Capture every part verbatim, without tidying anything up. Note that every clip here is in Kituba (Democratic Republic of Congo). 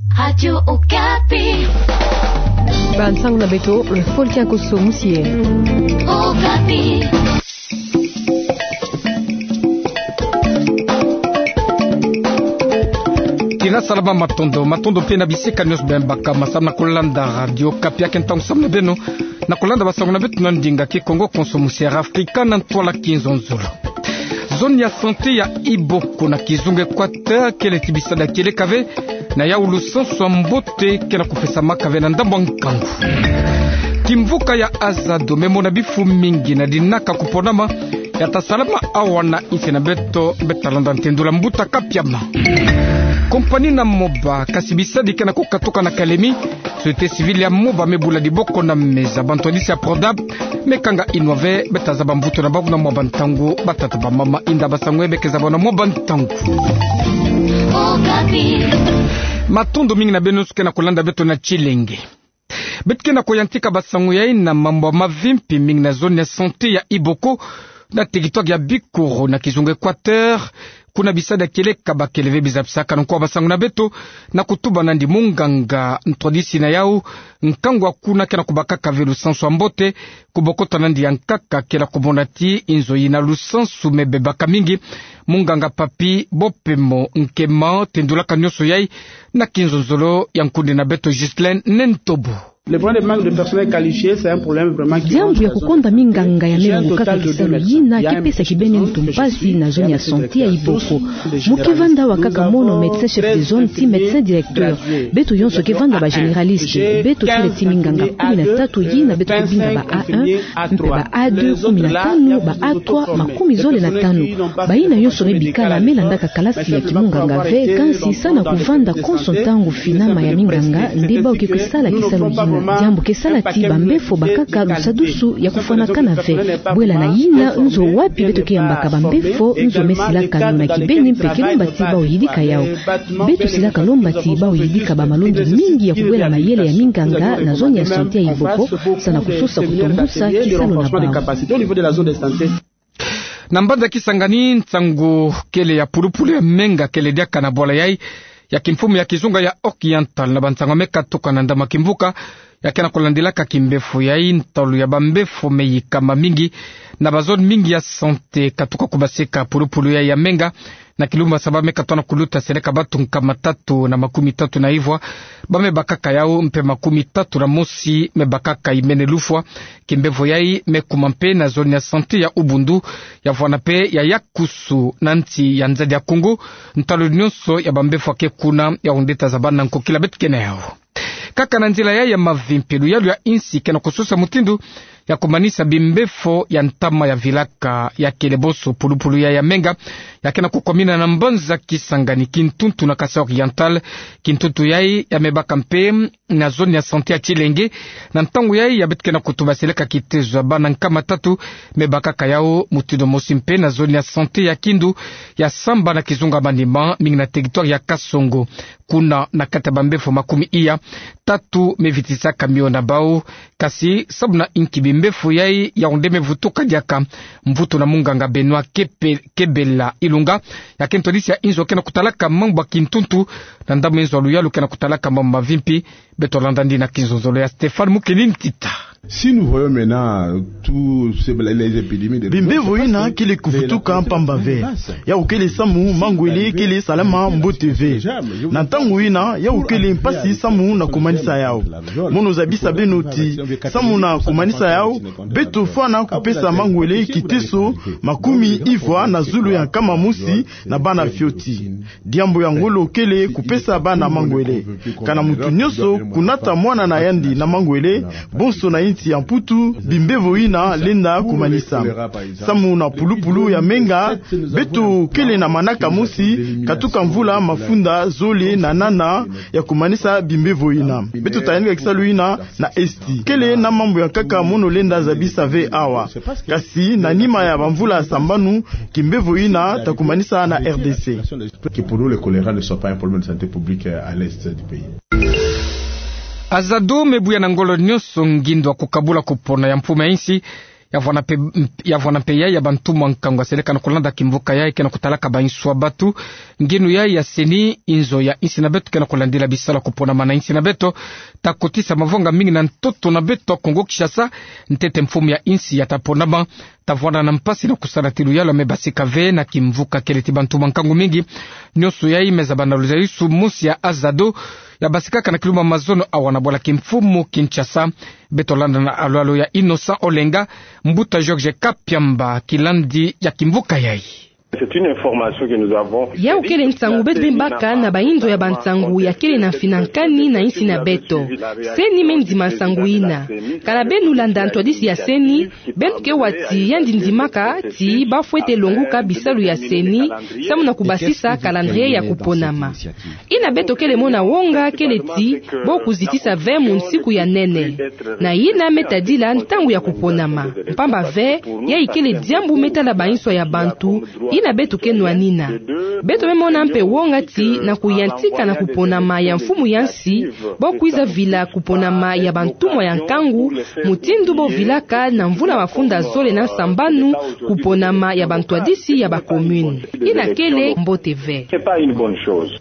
Radio Okapi. Bansango na beto, fo kiakoso musie. Okapi. Tina salama, matondo, matondo mpe na bisika nionso beno baka masamu na kolanda Radio Okapi. Kiaki ntangu samu na beno na kolanda bansango na beto na ndinga Kikongo konso musie Afrika na ntwala kinzonzolo. Zone ya santé ya Iboko na kizunga Equateur kele ti bisadi ya kieleka ve, na yau lusansu ya mbote ke na kupesamaka ve na ndambu ya nkangu. Kimvuka ya Azado me mona bifu mingi na dinaka kuponama ya ta salama awa na nsi na beto, beto ta landa ntendula mbuta Kapiama. Kompani na Moba, kasi bisadi ke na kukatuka na Kalemi, société civile ya Moba me bula diboko na meza bantwadisi ya Prodab, me kanga inwa ve, beto ta zaba mvutu na bau na mwa bantangu, batata bamama, inda bansangu ya beke zaba na mwa bantangu. Matondo mingi na beno nyonso ke na kolanda beto na Tshilenge. Beto ke na koyantika bansangu yai na mambu ya mavimpi mingi na zone ya santé ya Iboko, na territoire ya Bikoro na kizunga Equateur, kuna bisadi ya kieleka bakele ve bizapisaka nkwa bansangu na beto, na kutuba nandi munganga ntwadisi na yau, nkangu ya kuna ke na kubakaka ve lusansu ya mbote, kubokota nandi ya nkaka ke na kumona ti inzo yina lusansu me bebaka mingi. Munganga Papi Bopemo Nkema tendulaka nionso yai na kinzonzolo ya nkundi na beto Ghislaine Nentobo. Le problème de manque de personnel qualifié, c'est un problème vraiment qui... Diambu ya kukonda minganga ya me longokaka kisalu yina ke pesa kibeni muntu mpasi na zone ya santé ya Iboko. Mu ke vanda awa kaka mono médecin chef de zone ti médecin directeur. Beto yonso ke vanda ba généraliste. Beto kele ti minganga kumi na tatu yina beto ke binga ba A un, mpe ba A deux kumi na tanu, ba A trois makumi zole na tanu. Bayina yonso me bikala me landaka kalasi ya kimunganga ve, kansi sa na kuvanda konso ntangu finama ya minganga, nde bau ke kwe sala kisalu yina. Diambu ke sala ti bambefo bakaka lusadusu ya kufwanakana ve. Bwela na yina, nzo wapi beto ke yambaka bambefo, nzo me silaka nuna kibeni mpe ke lomba ti bau yidika yau. Beto silaka lomba ti bau yidika ba malongi mingi ya kubwela mayele ya minganga na zone ya santé ya Iboko, sa na kusosa kutombusa kisalu na bau. Na mbanza Kisangani, nsangu kele ya pulupulu ya menga kele diaka na bwala yai ya kimfumu ya kizunga ya Oriental, na bansangu me katuka na ndambu ya kimvuka ya ke na kulandilaka kimbefo yai. Ntalu ya bambefo me yikama mingi na ba zone mingi ya santé, katuka kubaseka pulupulu yai ya menga. Na kilumbu ya saba me katoa na kuluta seleka batu nkama tatu na makumi tatu na ivwa ba me bakaka yau, mpe makumi tatu na mosi me bakaka imene lufwa. Kimbefo yai me kuma mpe na zone ya santé ya Ubundu, ya vwanda mpe ya Yakusu na nsi ya nzadi ya Kongo. Ntalu nionso ya bambefo ya ke kuna, yau nde ta zaba na nkokila beto ke na yau. Kaka na nzila yai ya mavimpi, luyalu ya insi ke na kusosa mutindu ya kumanisa bimbefo ya ntama ya vilaka ya kele bonso pulupulu yai ya menga, ya ke na kukwamina na mbanza Kisangani, Kintuntu na Kasaï Oriental. Kintuntu yai ya me baka mpe na zone ya santé ya Tshilenge. Na ntangu yai ya beto ke na kutuba seleka kitezo ya bana nkama tatu me bakaka yau mutindu mosi mpe na zone ya santé ya Kindu, ya samba na kizunga Maniema, mingi na territoire ya Kasongo. Kuna na kati ya bambefo makumi iya, tatu me vitisaka mio na bau. Kasi samu na inki bimbefo yai, yau nde me vutuka diaka? Mvutu na munganga Benoît Kepe-, Kebela Ilunga, ya ke ntwadisi ya inzo ke na kutalaka mambu ya Kintuntu, na ndambu inzo ya luyalu ke na kutalaka mambu mavimpi. Beto landa nde na kinzonzolo ya Stéphane Mukeni Ntita. Si nous voyons maintenant tous ces, les épidémies de... Bimbevo yina kele kuvutuka mpamba ve. Yau kele samu mangwele kele salama mbote ve. Na ntangu yina, yau kele mpasi samu na kumanisa yau. Mono zabisa beno ti, samu na kumanisa yau, beto fwana kupesa mangwele kiteso makumi ivwa na zulu ya nkama mosi na bana fioti. Diambu ya ngolo kele kupesa bana mangwele. Kana muntu nyonso kunata mwana na yandi na mangwele, bonso na insi ya Mputu, bimbevo yina lenda kumanisa. Samu na pulupulu ya menga, beto kele na manaka mosi, katuka mvula mafunda zole na nana ya kumanisa bimbevo yina. Beto ta yanika kisalu yina na Esti. Kele na mambu ya nkaka mono lenda zabisa ve awa. Kasi na nima ya bamvula sambanu, kimbevo yina ta kumanisa na R D C. Que pour nous, le choléra ne soit pas un problème de santé publique, euh, à l'est du pays. Azado me buya na ngolo nyonso ngindo ya kukabula kupona ya mfumu ya insi, Ya vwanda mpe, ya vwanda mpe yai ya bantumwa nkangu aseleka na kulanda kimvuka yai ke na kutalaka banso ya batu. Nginu yai ya seni, inzo ya insi na beto ke na kulandila bisalu ya kuponama na insi na beto, ta kotisa mavanga mingi na ntoto na beto ya Kongo Kinshasa, ntete mfumu ya insi ya ta ponama, ta vwanda na mpasi na kusala ti luyalu ya me basika ve na kimvuka kele ti bantumwa nkangu mingi. Nionso yai me zaba na luzayusu mosi ya Azado, ya basikaka na kilumbu mazono awa na bwala kimfumu Kinshasa. Beto landa na alwalu ya Innocent Olenga, mbuta Georges Kapiamba, kilandi ya kimvuka yai. C'est une information que nous avons. Yau kele nsangu beto me baka na bainzo ya bansangu ya kele na mfinankani na insi na beto. Seni me ndima nsangu ina. Kana beno landa ntwadisi ya seni, beno ke wa ti yandi ndimaka ti ba fwete longuka bisalu ya seni, samu na kubasisa calendrier ya kuponama. Ina beto kele mona wonga kele ti bo kuzitisa ve munsiku ya nene. Na ina me tadila ntangu ya kuponama. Mpamba ve, yai kele diambu me tala bainso ya bantu, ina beto ke nwanina. Beto me mona mpe wonga ti na kuyantika na kuponama ya mfumu ya nsi, bo kwiza vila kuponama ya bantumwa ya nkangu, mutindu bo vilaka na mvula mafunda zole na nsambanu, kuponama ya bantwadisi ya ba commune. Ina kele mbote ve. C'est pas une bonne chose.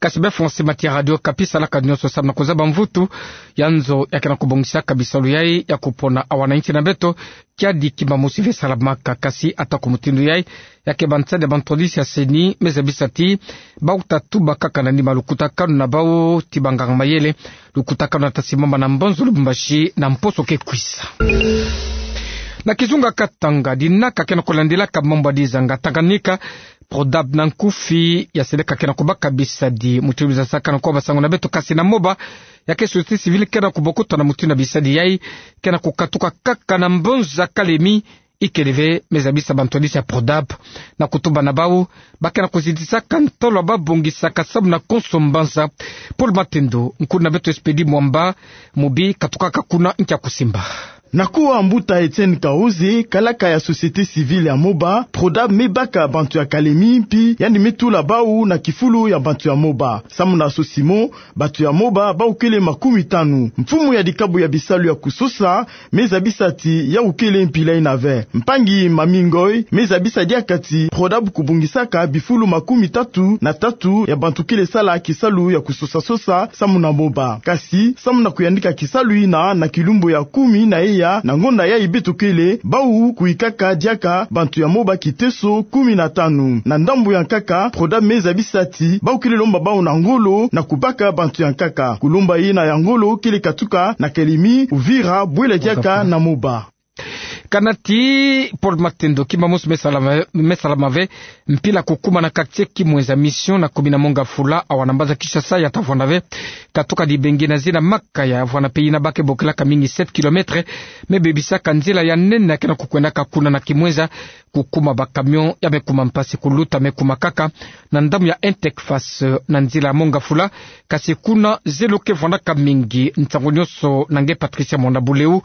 Kasi be François Matiya, Radio Okapi, salaka nionso samu na kuzaba mvutu ya nzo ya ke na kubongisaka bisalu yai ya kupona awa na insi na beto, kiadi kimba mosi ve salamaka. Kasi ata ku mutindu yai, ya ke bansadi ya bantwadisi ya seni me zabisa ti bau ta tuba kaka na nima lukutakanu na bau ti banganga mayele, lukutakanu na ta simbama na Mbanza Lubumbashi na mposo ke kwiza. Na kizunga Katanga, dinaka ke na kulandilaka mambu ya dizanga Tanganyika, Prodab na nkufi, ya seleka ke na kubaka bisadi mutindu za saka na kuwa basangu na beto, kasi na Moba, ya ke société civile ke na kubokoto na mutindu ya bisadi yai ke na kukatuka kaka na Mbanza Kalemi. Ikele ve, me zabisa bantwadisi ya Prodab na kutuba na bau, ba ke na kuzitisaka ntalo ya ba bongisaka samu na konso mbanza. Paul Matendo, nkundi na beto Expédit Mwamba, mobi katukaka kuna nkia kusimba. Na kuwa mbuta Etienne Kaoze, kalaka ya société civile ya Moba, Prodab me baka bantu ya Kalemi mpi yandi me tula bau na kifulu ya bantu ya Moba. Samu na Sosimo, bantu ya Moba bau kele makumi tanu. Mfumu ya dikabu ya bisalu ya kusosa me zabisa ti yau kele mpila ina ve. Mpangi Mami Ngoy me zabisa diaka ti Prodab kubongisaka bifulu makumi tatu na tatu ya bantu kele sala kisalu ya kusosa-sosa samu na Moba. Kasi, samu na kuyandika kisalu ina na kilumbu ya kumi na eya na ngonda yai beto kele, bau kuyikaka diaka bantu ya Moba kiteso kumi na tanu. Na ndambu ya nkaka, Prodab me zabisa ti bau kele lomba bau na ngolo na kubaka bantu ya nkaka. Kulomba ina ya ngolo kele katuka na Kalemi, Uvira, bwela diaka na Moba. Kana ti Paul Matendo, kimba mosi me salama, me salama ve, mpila kukuma na quartier Kimwenza Mission na commune ya Mont-Ngafula, awa na mbanza Kinshasa, ya ta vwanda ve katuka dibengi na zina Makaya, vwanda mpe ina ba ke bokilaka mingi sept kilomètres, me bebisaka nzila ya nene ya ke na kukwendaka kuna na Kimwenza, kukuma ba camion ya me kuma mpasi, kuluta me kuma kaka na ndambu ya Intecface na nzila ya Mont-Ngafula. Kasi kuna zelo ke vwandaka mingi. Nsangu nionso na nge Patricia Mwanda Buleu,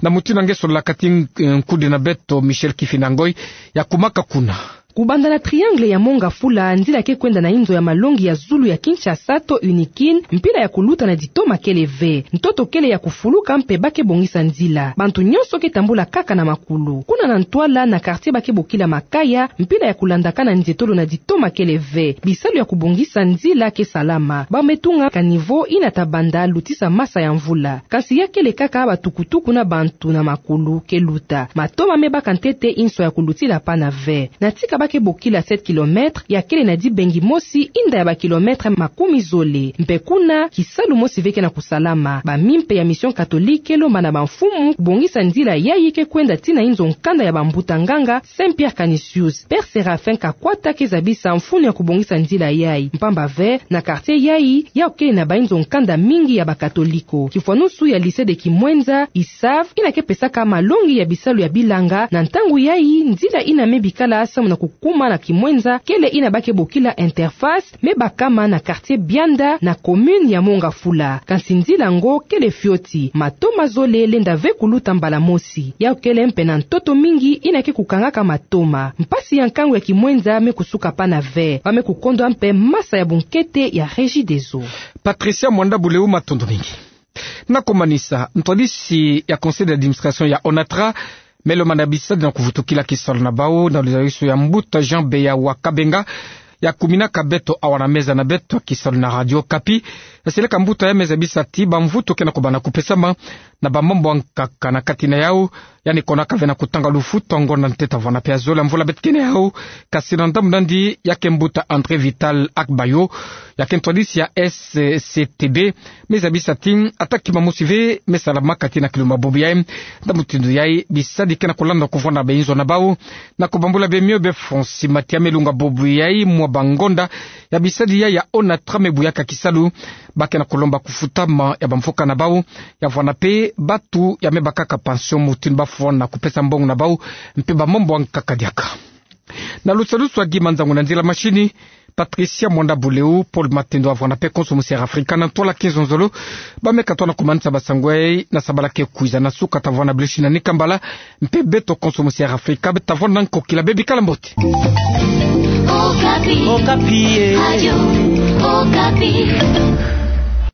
na mutindu nge sololaka ti nk-, nkundi na beto Michel Kifinda Ngoy, ya kumaka kuna. Kubanda na triangle ya Mont-Ngafula, nzila ke kwenda na inzo ya malongi ya zulu ya Kinshasa to Unikin, mpila ya kuluta na ditoma kele ve. Ntoto kele ya kufuluka mpe ba ke bongisa nzila. Bantu nionso ke tambula kaka na makulu. Kuna na ntwala na quartier ba ke bokila Makaya, mpila ya kulandaka na nzietolo na ditoma kele ve. Bisalu ya kubongisa nzila ke salama. Ba me tunga caniveau ina ta banda lutisa masa ya mvula. Kasi ya kele kaka batukutuku na bantu na makulu ke luta. Matoma me baka ntete inso ya kulutila pana ve. Na tika ba ke bokila sept kilomètres, ya kele na dibengi mosi inda ya ba kilomètres makumi zole. Mpe kuna, kisalu mosi ve ke na kusalama. Ba mimpe ya Mission Catholique ke lomba na bamfumu kubongisa nzila yai ke kwenda tii na inzo nkanda ya bambuta nganga, Saint Pierre Canisius. Père Séraphin Kakwata ke zabisa mfunu ya kubongisa nzila yai. Mpamba ve, na quartier yai, yau kele na bainzo nkanda mingi ya bakatoliko. Kifwanusu ya Lycée de Kimwenza, I S A V, ina ke pesaka malongi ya bisalu ya bilanga, na ntangu yai, nzila ina me bikala samu na kukuma na Kimwenza, kele ina ba ke bokila Interface, me bakama na quartier Bianda, na commune ya Mont-Ngafula. Kasi nzila yango kele fioti, matoma zole lenda ve kuluta mbala mosi. Yau kele mpe na ntoto mingi ina ke kukangaka matoma. Mpasi ya nkangu ya Kimwenza me kusuka pana ve. Ba me kukondwa mpe masa ya bunkete ya Regideso. Patricia Mwanda Buleu, matondo mingi. Na kumanisa, ntwadisi ya conseil d'administration ya ONATRA, Melo mana bisadi na kuvutukila kisalu na bau na luzalisu ya mbuta Jean Beya wa Kabenga, ya kuminaka beto awa na meza na beto kisalu na Radio Okapi. Ya seleka mbuta ya meza bisadi bamvutu ke na kubana kupesama na bamambu ya nkaka na kati na yau, yandi konaka ve na kutanga lufutu wa ngonda ntete vwanape ya zole ya mvula beto kena yau. Kasi na ndambu nandi, ya ke mbuta André Vital Akbayo, ya ke ntwadisi ya S C T B, meza bisadi ata kima mosi ve me salamaka tii na kilumbu bubu yai. Ndambu mutindu yai bisadi ke na kulanda kuvwanda be inzo na bau, na kubambula be mio be fonsi matia me lunga bubu yai mwa bangonda ya bisadi yai ya ONATRA me buyaka kisalu. Ba ke na kulomba kufutama ya bamfuka na bau, ya vwanape batu ya me bakaka pension mutindu bafwana kupesa mbongo na bau, mpe bamambu ya nkaka diaka. Na lusalusu ya Guy Manzangu na nzila mashini, Patricia Mwanda Buleu, Paul Matendo ya vwanape konso musi Air Africa na ntwala kinzonzolo, ba me katoa na kumanisa basangu yai na sabala ke kwiza na suka. Tavwanda blushi na nikambala, mpe beto konso musi Air Africa, beto tavwanda nkokila, bebikala mbote. Okapi. Okapi, eh. Radio Okapi.